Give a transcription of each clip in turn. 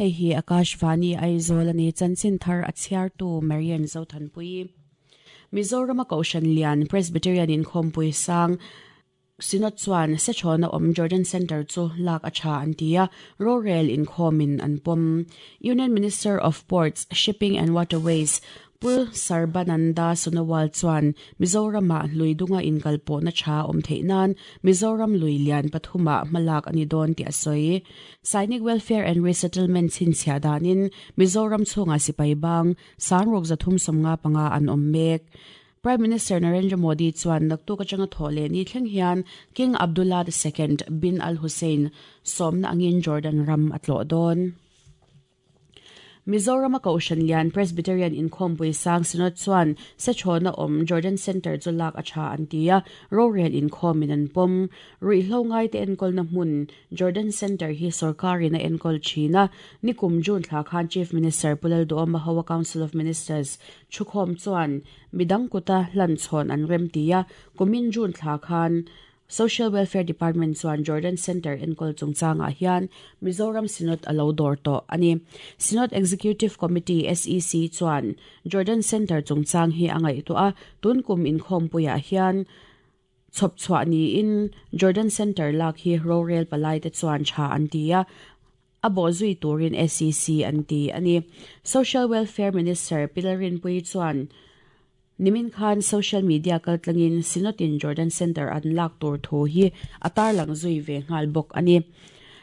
Hei hi Akashvani Aizawl a ni, chanchin thar a chhiartu Marian Zothanpui. Mizorama Kohhran Lian Presbyterian Inkhawmpui Sang Synod chuan Sechhawna awm Jordan Centre chu lak a tha an ti a, rorel inkhawmin an pawm. Union Minister of Ports, Shipping and Waterways Pu Sarbananda Sonowal chuan Mizoramah lui dunga inkalpawhna tha awm theih nan Mizoram lui lian pathumah hmalak a ni dawn tih a sawi. Sainik Welfare and Resettlement chhinchhiah danin Mizoram chhungah sipai bang sangruk 355 an awm mek. Prime Minister Narendra Modi chuan naktuk atanga thawh leh ni thleng hian King Abdullah II bin Al Hussein sawmna angin Jordan ram a tlawh dawn. Mizorama Kohhran Lian Presbyterian Inkhawmpui Sang Synod chuan Sechhawna awm Jordan Centre chu lak a tha an ti a, rorel inkhawmin an pawm. Ruihhlo ngaite enkawlna hmun Jordan Centre hi sorkarin a enkawl thin a, nikum June thla khan Chief Minister Pu Lalduhawma Hoa Council of Ministers thukhawm chuan midang kuta hlan chhawn an rem ti a, kumin June thla khan Social Welfare Department chuan Jordan Centre enkawl chungchangah hian Mizoram Synod a lo dawr tawh a ni. Synod Executive Committee, SEC, chuan Jordan Centre chungchang hi a ngaihtuah a, tun kum inkhawmpuiah hian chhawp chhuah niin Jordan Centre lak hi rorel palaite chuan tha an ti a, a bawhzui turin SEC an ti a ni. Social Welfare Minister Pilarinpuii chuan Nimin khan social media kaltlangin Synod-in Jordan Centre an lak tur thu hi a tarlang zui ve nghal bawk a ni.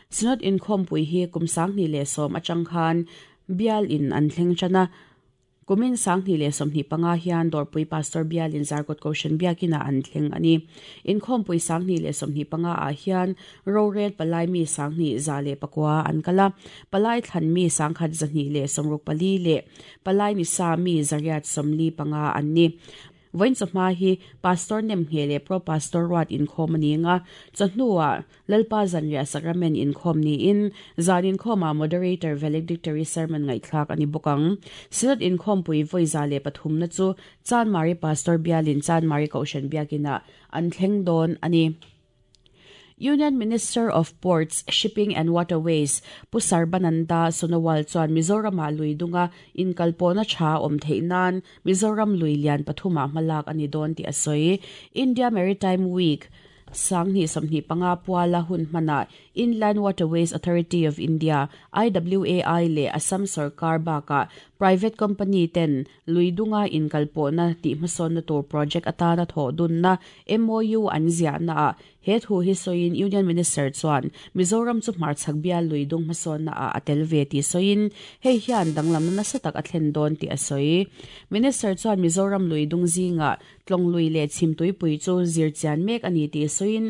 Synod inkhawmpui hi kum 2010 atang khan bialin an thleng tan a, kumin 2025 hian Dawrpui Pastor bialin Zarkawt Kohhran Biakinah an thleng a ni. Inkhawmpui 2025 ah hian Rorel palai mi 2109 an kal a, palai thlan mi 1264 leh Palai Nisa mi 845 an ni. Vawiin chawhma hi Pastor Nemngheh leh Pro Pastor Ruat inkhawm a ni ang a, chawhnuah Lalpa Zanriah Sacrament inkhawm niin zan inkhawmah Moderator Valedictory Sermon ngaihthlak a ni bawk ang. Synod inkhawmpui vawi 103na chu Chanmari Pastor Bialin Chanmari Kohhran Biakinah an thleng dawn a ni. Union Minister of Ports, Shipping and Waterways Pu Sarbananda Sonowal chuan Mizoramah lui dunga inkalpawhna tha awm theih nan Mizoram lui lian pathumah hmalak a ni dawn tih a sawi. India Maritime Week 2025 puala hun hmanah Inland Waterways Authority of India, IWAI, leh Assam sorkar bakah private company ten Lui dunga inkalpawhna tih hmasawnna tur project atana thawh dunna MOU an ziahna ah he thu hi sawiin Union Minister chuan Mizoram chu hmarchhak bial lui dung hmasawnna ah a tel ve tih sawiin hei hian danglamna nasa tak a thlen dawn tih a sawi. Minister chuan Mizoram lui dung zingah tlawng lui leh chhim tuipui chu zir chian mek a ni tih sawiin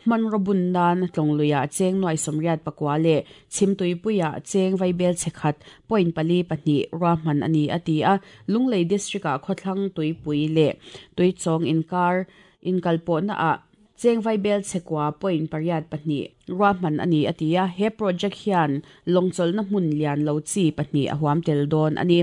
Hmanraw bun nan Tlawngluiah cheng nuai 84 leh Chhimtuipuiah cheng vaibel chhe khat point pali pahnih ruahman a ni a ti a. Lunglei District-ah khawthlang tuipui leh tuichawng inkar inkalpawhnaah cheng vaibel chhe kua point pariat pahnih ruahman a ni a ti a. He project hian lawngchawlhna hmun lian lo chi pahnih a huam tel dawn a ni.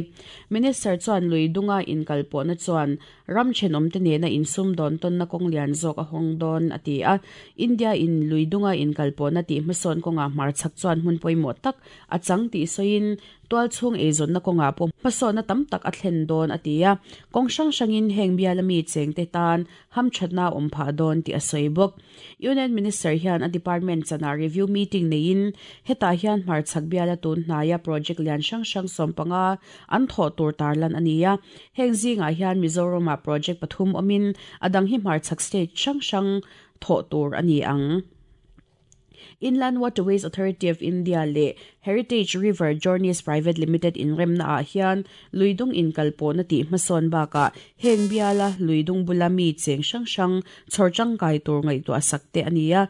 Minister chuan lui dunga inkalpawhna chuan Ram thenawmte nena insum dawn tawnna kawng lian zawk a hawng dawn, a ti a. India in lui dunga inkalpawhna tih hmasawn kawngah hmarchhak chuan hmun pawimawh tak a chang tih sawiin tualchhung eizawnna kawngah pawh hmasawnna tam tak a thlen dawn, a ti a. Kawng hrang hrangin heng biala mi chengte tan hamthatna a awm phah dawn tih a sawi bawk. Union Minister hian a department chanah review meeting neiin hetah hian hmarchhak biala tun hnaia project lian hrang hrang 15 an thawh tur tarlan a ni a. Heng zingah hian Mizoramah project pathum awmin a dang hi hmarchhak state hrang hrang thawh tur a ni ang. Inland Waterways Authority of India leh Heritage River Journeys Private Limited inremna ah hian luidung inkalpawhna tih hmasawn bakah heng biala luidung bula mi cheng hrang hrang chhawr tangkai tur ngaihtuah sak te a ni a,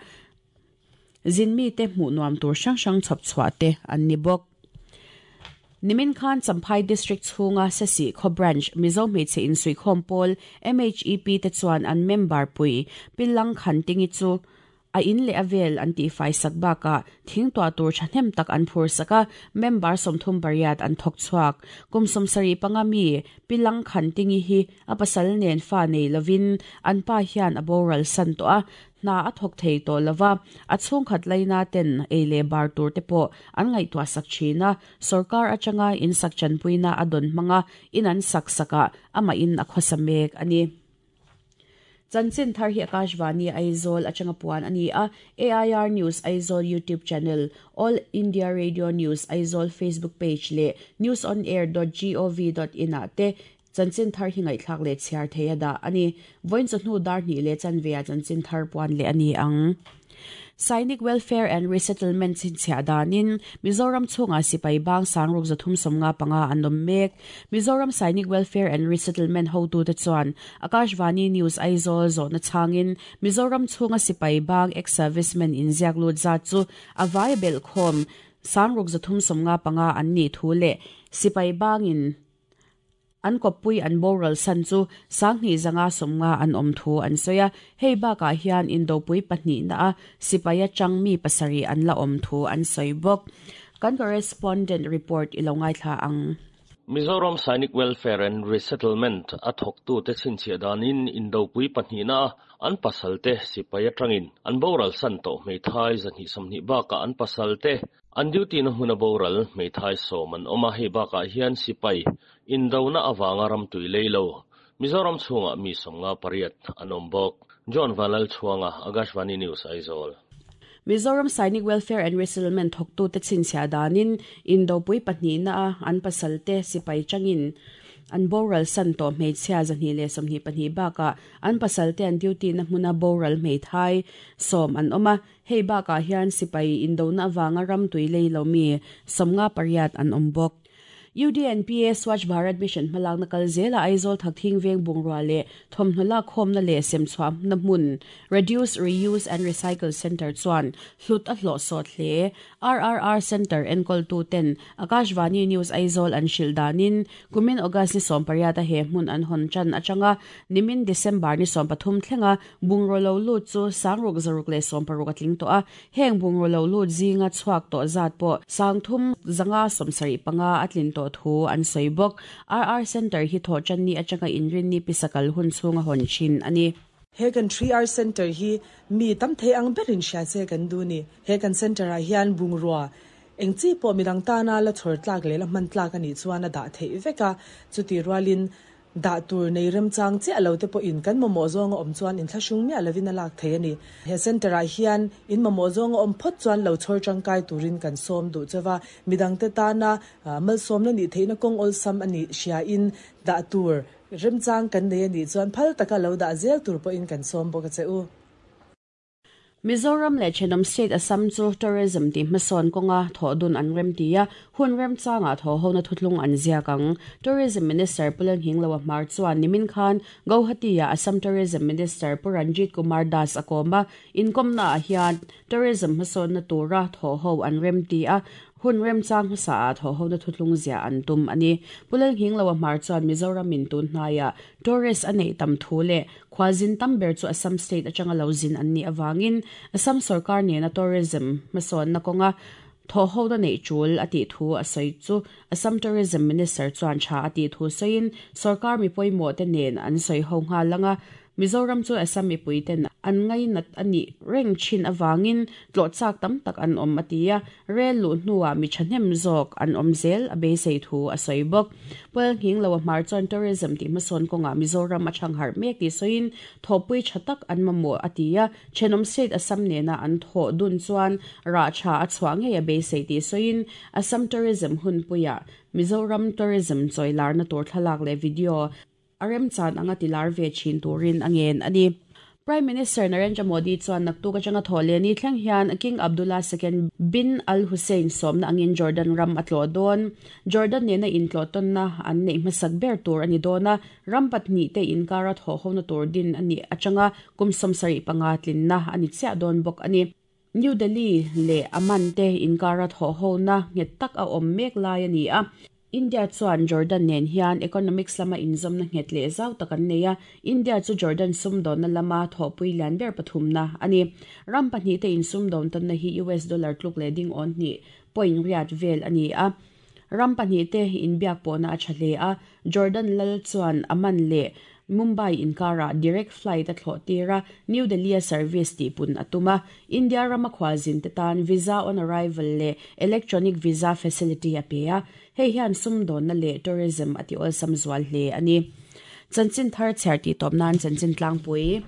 zin mite hmuh nuam tur hrang hrang chhawp chhuah te an ni bawk. Nimin khan Champhai District chhunga Sesih khaw Branch Mizo Hmeichhe Insuihkhawm Pawl, MHEP, te chuan an member pui Pillang Khantingi chu. A in leh a vel an tihfai sak bakah thing tuah tur thahnem tak an phur sak a, member 38 an thawk chhuak. Kum 75 mi Pi Lang Khantingi hi a pasal nen fa nei lovin an pa hian a boral san tawh a, hna a thawk thei tawh lova, a chhungkhat laina ten ei leh bar tur te pawh an ngaihtuah sak thin a, sorkar atanga in sak chanpuina a dawn hmanga in an sak sakah amah in a khawsa mek a ni. Chanchin thar hi Akashvani Aizawl atanga puan a ni a, AIR News Aizawl YouTube channel, All India Radio News Aizawl Facebook page leh newsonair.gov.in ah te chanchin thar hi ngaihthlak leh chhiar thei a dah a ni. Vawiin chawhnu dar hnih leh chanve ah chanchin thar puan leh a ni ang. Sainik Welfare and Resettlement chhinchhiah danin Mizoram chhungah sipai bang sangruk 355 an awm mek. Mizoram Sainik Welfare and Resettlement hotute chuan Akashvani News Aizawl zawhna chhangin Mizoram chhunga sipai bang ex-servicemen inziak lut zat chu a vai belh khawm sangruk 355 an nih thu leh sipai bangin an kawppui an boral san chu 2550 an awm thu an sawi a. Hei bakah hian indopui pahnihna a sipai atang mi pasarih an la awm thu an sawi bawk. Kan correspondent report i lo ngaithla ang. Mizoram Sainik Welfare and Resettlement a thawktute chhinchhiah danin indopui pahnihna a an pasalte sipai atangin an boral san tawh hmeithai 220 bakah an pasalte an duty na hmun a boral hmeithai 10 an awm a. Hei bakah hian sipai indona awanga ram tui leilo Mizoram chhungah mi 58 an awm bawk. John Vanlal Chhuanga, Akashvani News Aizawl. Mizoram Sainik Welfare and Resettlement thawktute chhinchhiah danin indopui pahnihna a an pasalte sipai tangin an boral san tawh hmeichhia 222 bakah an pasalte an duty na hmuna boral hmeithai 10 an awm a. Hei bakah hian sipai indona awanga ram tui leilo mi 58 an awm bawk. UDNPA Swachh Bharat Mission hmalak na kal zela Aizawl Thakthing Veng Bungrua leh thawmhnaw lak khawmna leh semchhuah na hmun Reduce, Reuse and Recycle Centre chuan hlut a hlawh sawt hle. RRR Centre enkawl tu ten Akashvani News Aizawl an hrilh danin kumin August ni 18 a he hmun an hawn chan atanga nimin December ni 13 thlenga bungraw lo lut chu 6,660 a tling tawh a. Heng bungraw lo lut zinga chhuak tawh zat pawh 3,575 a tlin tawh thu an sawi bawk. RR Centre hi thaw chan ni atanga inrin ni pisakal hun chhunga hawn thin ani. He kan 3R Centre hi mi tam thei ang berin hria che kan du ni. He kan centre ah hian bungrua eng chi pawh midang tana la chhawr tlak leh la hman tlak ani chuan a dah theih vek a. Chuti rualin dah tur nei remchang chiah lo te pawh in kan mamawh zawnga awm chuan in thlahrung miah lovin a lak thei ani. He centre ah hian in mamawh zawnga awm phawt chuan lo chhawr tangkai turin kan sawm duh chewa midang te tana malsawm na nih theihna kawng awlsam ani hria in dah tur remchang kan nei ani chuan phal taka lo dah zel tur pawh in kan sawm bawk a che u. Mizoram leh Thenawm State Assam chu tourism ti hmasawn kawnga thawh dun an rem ti a, hun remchanga thaw ho na thutlung an ziak ang. Tourism Minister Pu Lalnghingloa Hmar chuan nimin khan Guwahati ah Assam Tourism Minister Pu Ranjit Kumar Das a kawm a, inkomna ah hian tourism hmasawn na tura thaw ho an rem ti a, hun remchang hmasa ah thaw ho na thutlung zia an tum ani. Pu Lalnghingloa Hmar chuan Mizoram in tun hnaia tourist a nei tam thu leh khwazin tamber chu Assam State atanga lo zin an ni awangin Assam sarkar nena tourism hmasawn na kawnga thaw ho na nei tul a tih thu a sawi chu Assam Tourism Minister chuan tha a tih thu sawiin sarkar mi pawimawh te nen an sawi ho nghal anga Mizoram chu Assam mipui ten an ngai nat ani reng thin awangin tlawh chak tam tak an awm a ti a, rel lu hnuah mi thahnem zawk an awm zel a beisei thu a sawi bawk. Pu Lalnghingloa Hmar chuan tourism tih hmasawn kawngah Mizoram a thang harh mek tih sawiin thawhpui tha tak an mamawh a ti a, Thenawm State Assam nena an thawh dun chuan rah tha a chhuah ngei a beisei tih sawiin Assam Tourism hunpuiah Mizoram Tourism chawilar na tur thlalak leh video a remchan anga tilar ve thin turin a ngen ani. Prime Minister Narendra Modi chuan naktuk atanga thaw leh ni thleng hian King Abdullah II bin Al Hussein sawmna angin Jordan ram a tlawh dawn. Jordan nena intlawh tawnna an neih hmasak ber tur ani dawn a, ram pahnih te inkara thaw ho na tur din ani atanga kum 75 tlinna ani chiah dawn bawk ani. New Delhi leh Amman te inkara thaw ho na nghet tak a awm mek lai ani a. India chuan Jordan nen hian economics lama inzawmna nghet leh zau tak an nei a, India chu Jordan sumdawnna lama thawhpui lian ber pathumna a ni. Ram pahnihte insumdawn tawnna hi US dollar tluk leh ding awn hnih point riat vel a ni a. Ram pahnihte inbiak pawhna a tha hle a, Jordan lal chuan Amman leh Mumbai inkarah direct flight a thlawh tir a, New Delhi-a service tihpun a tum a. India rama khualzinte tan visa on arrival leh electronic visa facility a pe a, hei hian sumdawnna leh tourism a ti awlsam zual hle a ni. Chanchin thar chhiar tih tawp nan chanchin tlangpui.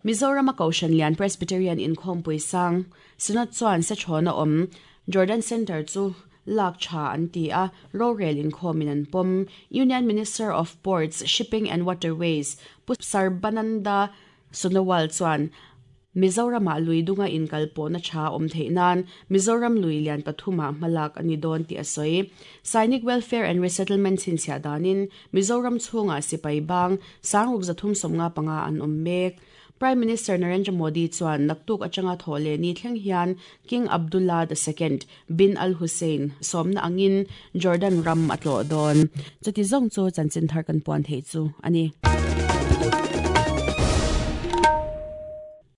Mizorama Kohhran Lian Presbyterian Inkhawmpui sang Synod chuan Sechhawna awm Jordan Centre chu lak tha an ti a, rorel inkhawmin an pawm. Union Minister of Ports, Shipping and Waterways Pu Sarbananda Sonowal chuan Mizoramah lui dunga inkalpawhna tha awm theih nan Mizoram lui lian pathumah hmalak a ni dawn tih a sawi. Sainik Welfare and Resettlement chhinchhiah danin Mizoram chhungah sipai bang sangruk 375 an awm mek. Prime Minister Narendra Modi chuan naktuk atanga thawh leh ni thleng hian King Abdullah the Second bin Al Hussein sawmna angin Jordan ram a tlawh dawn. Chuti zawng chu chanchin thar kan puan theih chu a ni.